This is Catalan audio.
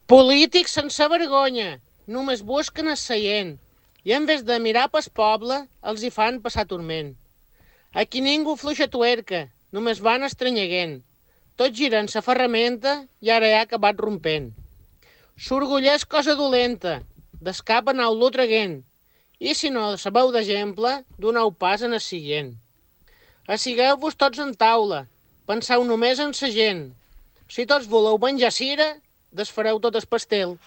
Polítics sense vergonya, només busquen el seient i en vez de mirar pel poble, els hi fan passar turment. Aquí ningú fluixa tuerca, només van estranyeguent. Tot giren sa ferramenta i ara ja ha acabat rompent. S'orgulla és cosa dolenta, d'escap anau-lo traguent, i si no sabeu d'exemple, doneu pas en el siguient. Assigueu-vos tots en taula, penseu només en sa gent. Si tots voleu menjar cira, desfareu tot el pastel.